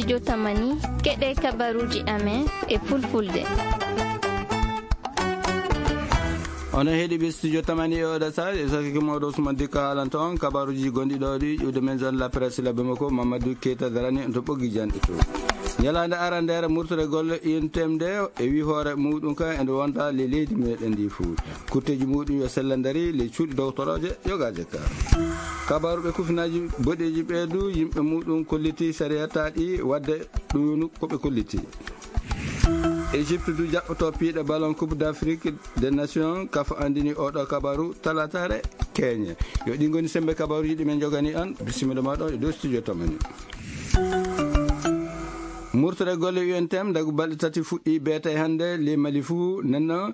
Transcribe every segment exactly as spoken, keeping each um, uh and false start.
Yo tamani, keɗe kabaruji amen e fulfulde. Onon heɗiɓe studio tamani e oɗo sa e sakki mawɗo Ousmane Dikka haalanta on kabaruji gonɗi ɗo ɗi ƴuwde men zone la presse labbe makko Mamadou Keita darani to ɓoggi janɗe to. Ñalaande arandere murtore golle I N T M nde e wi hoore muɗum kan ende wonda le leydi meɗen ndi fuu. Kutteji muɗum yo sella dari le cuuɗi dogotoroje yogaje ka. Kabaru ɓe kufinaji boɗeji ɓe du yimɓe muɗum kolliti sariya taɗi wadde ɗum ko ɓe kolliti. Égypte du jaɓɓoto piiɗe ballon Coupe d'Afrique des Nations, kaf andini oɗo kabaru talatare keñe. Yo ɗi ngoni sembe kabaruji ɗi men jogani an. Bisimilla ma ɗo e dow studio tamani. Murtore golle U N T M dagu balɗe tati fuɗɗi beetay hannde le Mali fuu nenno,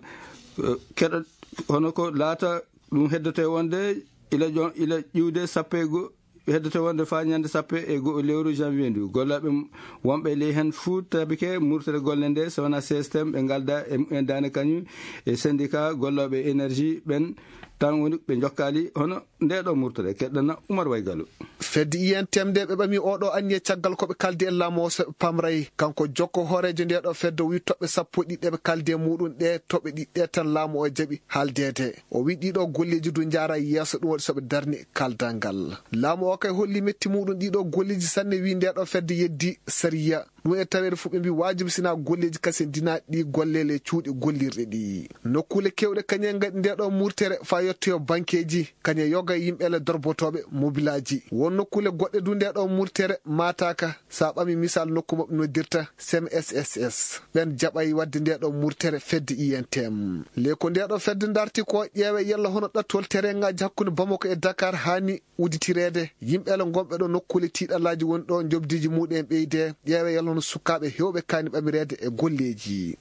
eh, keɗo hono ko laata ɗum heddote wonde ila ƴo-, ila ƴiwde sappo e go-, heddoto wonde faa ñande sappo e go'o lewru janvier ndu. Gollooɓe m-, wonɓe ley heen fuu tabike murtere golle nde, so wonaa C S T M, ɓe ngalda e mumen daande kañum e syndicat gollooɓe énergie ɓen tan woni ɓe jokkaali hono nde ɗo murtere. Keɗɗana Umar Waygalu. Fedde I N T M nde ɓe ɓami oɗo anniya caggal ko ɓe kaldi e laamu o so ɓe pamray. Kanko jokko hooreejo nde ɗo fedde o wi toɓɓe sappo e ɗiɗi ɗe ɓe kaldi e muɗum ɗe, toɓɓe ɗiɗi ɗe tan laamu o jaɓi haaldeede. O wi ɗiɗo golleeji du njaara yeeso, ɗum waɗi so ɓe darni kaldal ngal. Laamu o kay holli metti muɗum ɗiɗo golleeji sanne, wi nde ɗo fedde yeddi sariya. Ɗum e taweede fof ɓe mbi waajibi sina golleeji kase ndina ɗi golle le cuuɗi gollirɗe ɗi. Nokkuule kewɗe kañe ngaɗi nde ɗo murtere fa yettoyo bankeeji, kañe yoga yimɓe le dorbotooɓe mobilaaji. Won nokkuule goɗɗe du nde ɗo murtere maataaka. Sa ɓami misal nokku maɓɓe noddirta C M S S S. Ɓen jaɓay wadde nde ɗo murtere fedde I N T M. Le ko nde ɗo fedde darti ko ƴeewe yalla hono ɗattol terrain ngaji hakkunde Bamako e Dakar hani udditireede. Yimɓe le gonɓe ɗo nokkuule tiiɗalaaji woni ɗo jobdiji muɗum ɓeyde. Ƴeewe yalla hono sukaaɓe hewɓe kani ɓamireede e golleeji.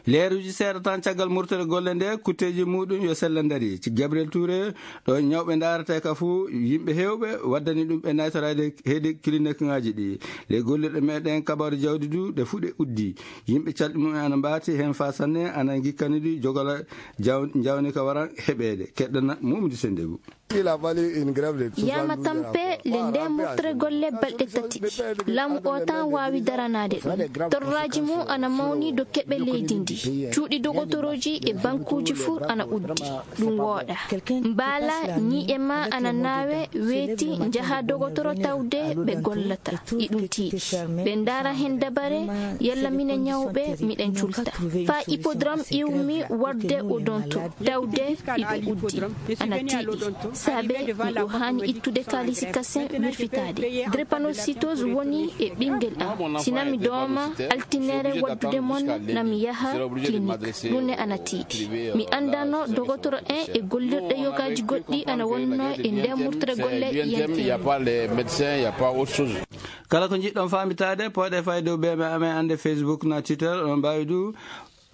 Leeruji seeɗa tan caggal murtere golle nde, kutteji muɗum yo sella dari. Ci Gabriel Touré, ɗo ñawɓe ndaarata ka fuu, yimɓe heewɓe waddani ɗum ɓe naytoraade heedi clinique ngaji ɗi. Le gollirɗe meɗen kabaru jawdi du, ɗe fuu ɗe uddi. Yimɓe calɗi mum ana mbaati heen faa sanne, ana ngikkani ɗi jogola jaw-, jawni ka wara heɓeede. Keɗɗana Mumdi Sendebu. Yama tampe le nde murtere golle balɗe tati ɗi. Laamu o tan waawi daranaade ɗum. Torraaji mum ana mawni dow keɓe leydi ndi. Cuuɗi dogotoroji e bankuuji fuu ana uddi. Ɗum wooɗa. Mbaala ñiiƴe ma ana naawe, weeti, njaha dogotoro tawde ɓe gollata. Iɗum tiiɗi. Ɓe ndaara heen dabare, yalla mine ñawɓe, miɗen culta. Faa hippodrome iwmi warde o ɗon to. Tawde iɗum uddi. Ana tiiɗi. Saabe miɗo haani ittude kaalisi kasen wirfitaade. Drépanocytose woni e ɓinngel am. Si nami dooma, altinere waddude mon, nami yaha clinique. Ɗum ne ana tiiɗi. Mi anndano dogotoro en e gollirɗe yogaaji goɗɗi ana wonno e nder murtere golle I N T M. Kala ko njiɗɗon faamitaade, pooɗe fay dow B M amen annde Facebook na Twitter, on mbaawi du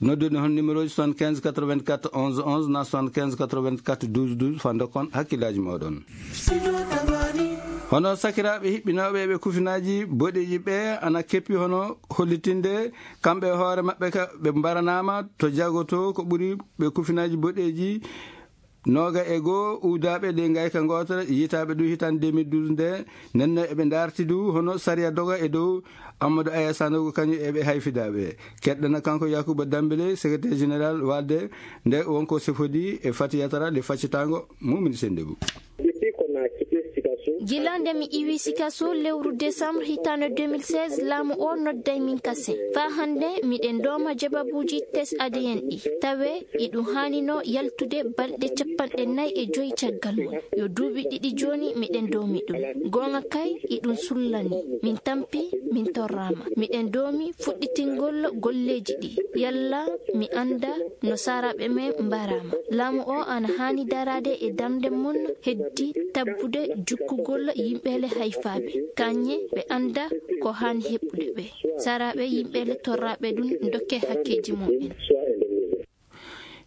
noddude hon numéro ji soixante-quinze quatre-vingt-quatre onze onze na soixante-quinze quatre-vingt-quatre douze douze, faa ndokkon hakkillaaji mooɗon. Hono sakiraaɓe hiɓɓinooɓe ɓe kufinaaji boɗeeji ɓe ana keppi hono hollitinde kamɓe e hoore maɓɓe ka ɓe mbaranaama to jagoto ko ɓuri ɓe kufinaaji boɗeeji nooga e goo uwdaaɓe ɗi ngayka ngootata yiytaaɓe ɗum hitaande deux mille douze nde. Nenno eɓe ndaarti du hono sariya doga e dow Amadou Aya Sanogo kañum eɓe hayfidaaɓe. Keɗɗana kanko Yakuba Dambele, secrétaire général walde nde wonko sefodi e Fatiyatara le faccitaango Mumini Sendebu. Gila nde mi iwi Sikaso lewru décembre hitaande deux mille seize, laamu o nodday min kasen. Faa hannde miɗen dooma jababuuji test A D N ɗi. Tawe iɗum haanino yaltude balɗe capanɗe nayi e joy caggal mum. Yo duuɓi ɗiɗi jooni miɗen doomi ɗum. Goonga kay iɗum sullani. Min tampi, min torraama. Miɗen doomi fuɗɗitingol golleeji ɗi. Yalla mi annda no saaraaɓe men mbaraama. Laamu o ana haani daraade e darnde mum heddi tabbude jukkugol yimɓe le hayfaaɓe. Kañe ɓe annda ko haani heɓude ɓe. Saaraaɓe yimɓe le torraaɓe ɗum dokke hakkeeji mum en.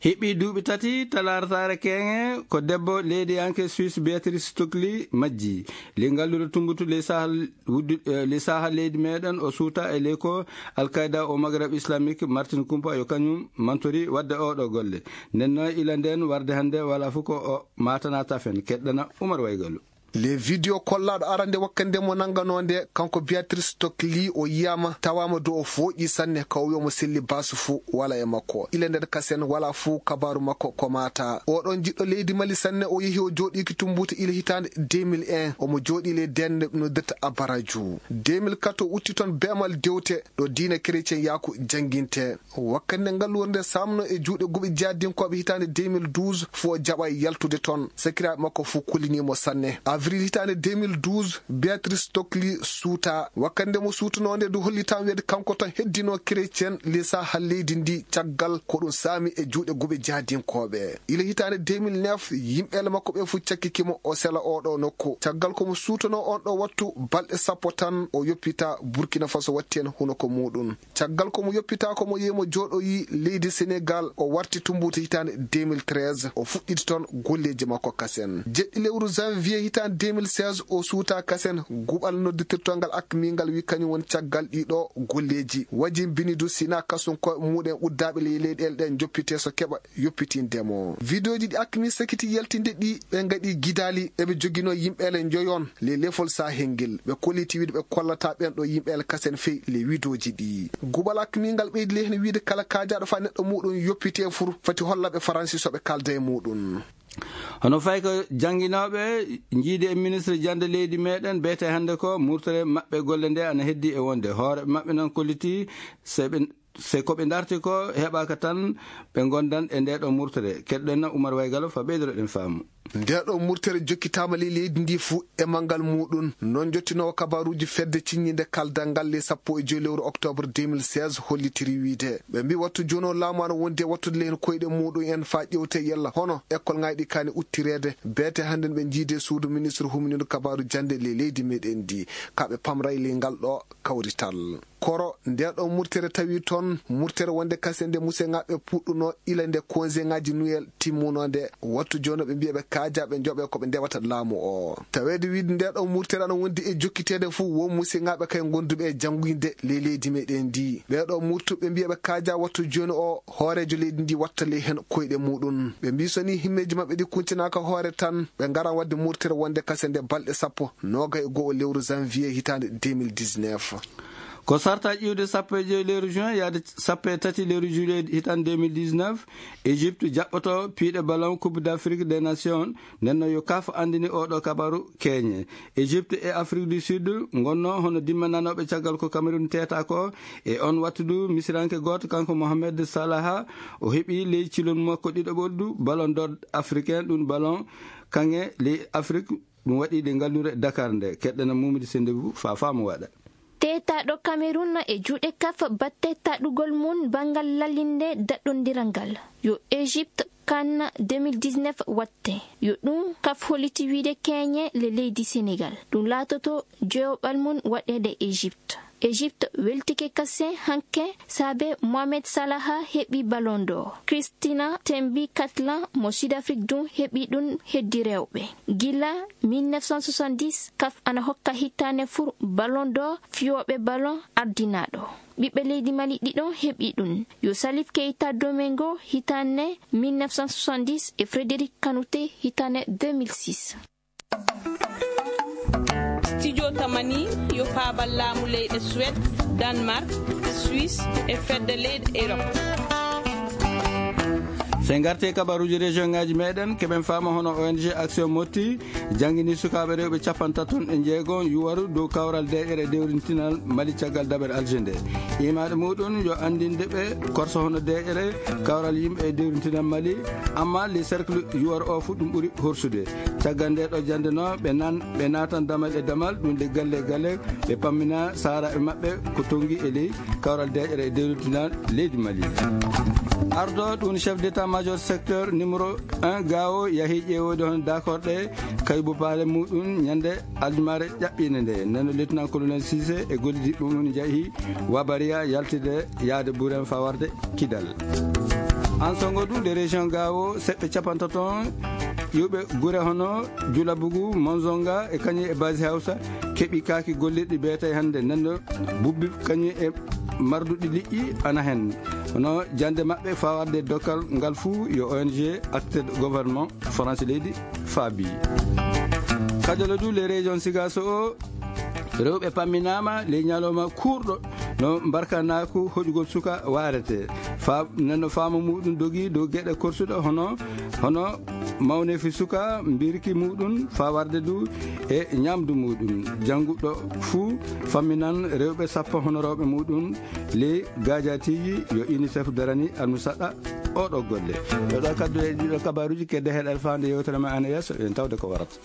Heɓi duuɓi tati talaarataare keeŋe ko debbo leydiyanke Suisse Beatrice Stockley majji. Li ngalluɗo tumbutu ley saha wuddu-, eh, ley saha leydi meɗen o suuta e ley ko Al-Qaeda o Maghreb Islamique Martin Kumpa yo kañum mantori wadde oɗo golle. Nden noon ila nden warde hannde wala fof ko o matana tafen. Keɗɗana Umar Waygalu. Le video kollaaɗo arande wakkande mo nannganoo nde, kanko Beatrice Tokli, o yiyaama, tawaama dow o fooƴi sanne, ka o wiya mo selli basu fuu wala e makko. Ila nder kasen wala fuu kabaaru makko ko maata. Oɗon jiɗɗo leydi Mali sanne, o yehi o jooɗiiki Tumbuutu ila hitaande deux mille un, omo jooɗii ley deende ɓe noddirta Abaraju. Deux mille quatre o utti toon beemal dewte ɗo diina kerecen yaaku jannginte. Wakkati nde ngalluure nde saamno e juuɗe guɓe jihadinkooɓe hitaande deux mille douze, fuu o jaɓa yaltude toon. Sakiraaɓe makko fuu kulini mo sanne. Avril hitaande deux mille douze, Beatrice Tokli suuta. Wakkati nde mo suutunoo nde du hollitaama wiyde kanko tan heddinoo kerecen ley saaha leydi ndi caggal ko ɗum saami e juuɗe guɓe jihadinkooɓe. Ila hitaande deux mille neuf, yimɓeele makko ɓe fuu cakkiki mo o sela oo ɗoo nokku. Caggal ko mo suutunoo on ɗoo wattu balɗe sappo tan o yoppita Burkina Faso watti heen hunuko muuɗum. Caggal ko mo yoppitaako mo yehi mo jooɗoyi leydi Senegal, o warti Tumbuutu hitaande deux mille treize, o fuɗɗiti toon golleeji makko kasen. Jeɗɗi lewru janvier hitaande deux mille seize, o suuta kasen, guɓal nodditirtongal akmi ngal wi kañum woni caggal ɗii ɗoo golleeji. Wajimbini du sina kasum koye muuɗum uddaaɓe ley leyɗeele ɗe joppite so keɓa yoppitinde mo. Vidéoji ɗi akmi sakiti yaltinde ɗi, ɓe ngaɗi gidaali, eɓe joginoo yimɓeele njoyon. Le lefol sahel ngel, ɓe kolliti wiide ɓe kollata ɓen ɗo yimɓe el kasen fey le widoji ɗi. Guɓal akmi ngal ɓeydi le heen wiide kala kaajaɗo fa neɗɗo muɗum yoppite fur, fati holla ɓe Faransi so ɓe kalda e muɗum. Hono fay ko jannginooɓe njiidi e ministre jannde leydi meɗen, beete hannde ko murtere maɓɓe golle nde ana heddi e wonde. Hoore maɓɓe noon kolliti se ɓe Se ko ɓe ndarti ko heɓaaka tan, ɓe ngondan e ndee ɗoo murtere. Keɗɗen Umar Waygalo fa ɓeydoreɗen faamu. Ndee ɗoo murtere jokkitaama ley leydi ndi fuu e manngal muɗum. Noon jottinoowo kabaruuji fedde ciññinde kaldal ngal ley sappo e joy lewru octobre deux mille seize hollitiri wiide, ɓe mbi wattu jooni o laamu ana wondi e wattude ley heen koyɗe muɗum en faa ƴewte yalla hono école ŋaaji ɗi kaani uttireede. Beete hannden ɓe njiidi e suudu ministre humnindo kabaaru jannde ley leydi meɗen ndi, ka ɓe pamray ley ngal ɗoo kawrital. Koro, ndee ɗoo murtere tawi toon, murtere wonde kasen nde museŋaaɓe puɗɗunoo ila nde konseŋaaji Noël timmunoo nde, wattu jooni ɓe mbiya ɓe kaajaa ɓe njoɓee ko ɓe ndewata laamu o. Taweede wiide ndee ɗoo murtere ana wondi e jokkiteede fuu, won museŋaaɓe kay ngonduɓe e jannguyde ley leydi meɗen ndi. Ɓee ɗoo murtuɓe mbiya ɓe kaajaa wattu jooni o, hooreejo leydi ndi watta ley heen koyɗe muɗum. Ɓe mbii so ni himmeeji maɓɓe ɗi kuntinaaka hoore tan, ɓe ngara waɗde murtere wonde kasen nde balɗe sappo, noogay e go'o lewru janvier hitaande deux mille dix-neuf. Ko sarta ƴiwde sappo e joy lewru juin yaade sappo e tati lewru juillet hitaande deux mille dix-neuf, Égypte jaɓɓoto piiɗe ballon Coupe d'Afrique des Nations. Nden noon yo kaf anndini oo ɗoo kabaru keeñe. Égypte e Afrique du Sud ngonnoo hono dimmananooɓe caggal ko Cameroun teeta ko. E on wattu du, misiranke gooto, kanko Mohamed Salah, o heɓi ley cilol makko ɗiɗaɓol du ballon d'or africain, ɗum ballon kaŋŋe ley Afrique. Ɗum waɗi ɗe ngallure Dakar nde. Keɗɗana Mumidi Sendebu fa faamo waɗa. Teetaaɗo Cameroun e juuɗe kaf batte taɗugol mum banngal lallinde daɗɗondiral ngal. Yo Égypte kan deux mille dix-neuf watte. Yo ɗum kaf holliti wiide keeñe le leydi Sénégal. Ɗum laatoto joyoɓal mum waɗeede Égypte. Égypte weltike kasen hanke saabe Mohamed Salah heɓi Ballon d'Or. Christina Tembi Katla mo Sud Afrique ɗum heɓi ɗum heddi rewɓe. Gila mille neuf cent soixante-dix, kaf ana hokka hitaande fur Ballon d'Or fiyooɓe ballon ardinaaɗo. Ɓiɓɓe leydi Mali ɗiɗo heɓi ɗum. Yo Salif Keita Domingo hitaande mille neuf cent soixante-dix e Frédéric Kanouté hitaande deux mille six. Studio Tamani yo faabal laamu leyɗe Suède, Danemark, Suisse e fedde leyɗe Europe. Se ngarte kabaruuji région ngaji meɗen, keɓen faama hono O N G Action Motti janngini sukaaɓe rewɓe capantaton e jeego yuwaru dow kawral deeƴere dewrintinal Mali caggal daɓere alje nde. Imaade muɗum yo anndinde ɓe korso hono deeƴere kawral yimɓe e dewrintinal Mali, amma le cercle yuwaru o fu ɗum ɓuri horsude. Caggal nde ɗo jannde no ɓe nan, ɓe naatan damal e damal, ɗum de galle e galle, ɓe pammina saaraaɓe maɓɓe ko tonngi e ley kawral deeƴere e dewrintinal leydi Mali. Ardo ɗum chef d'état-major secteur numéro un Gao yahi ƴeewoyde hono dakorɗe kaybupaale muɗum ñande aljumare ƴaɓɓinde nde. Nano lieutenant-colonel Cissé e gollidiɓɓe mum njahi Wabariya yaltide yaade Buren fawarde Kidal. An songo ɗum de région Gao seɓɓe capantato iwɓe gure hono Julabugu, Monzonga e kañum e Basi Hausa keɓi kaaki gollirɗi beetay hannde. Nano bubbi kañum e marduɗi liƴƴi ana hen. Hono jannde maɓɓe fawarde dokkal ngal fuu yo O N G acteur de gouvernement France leydi faabi. Kajolo du le région Sigaso o, rewɓe pamminaama le ñalawma kuurɗo no mbarkanaaku hoƴugol suka waarete. Fa, nano faama muɗum dogi dow geɗe korsuɗe hono, hono mawneefi suka, mbirki muɗum, faa warde du e ñamdu muɗum. Jannguɗo fuu famminan rewɓe sappo hono rewɓe muɗum le gaajaatiiji yo UNICEF darani almusaɗa oɗo golle. Ɗo ɗo kaddu e ɗiɗo kabaruuji kedde heɗal faande yewtere ma ana yeeso, en tawde ko warata.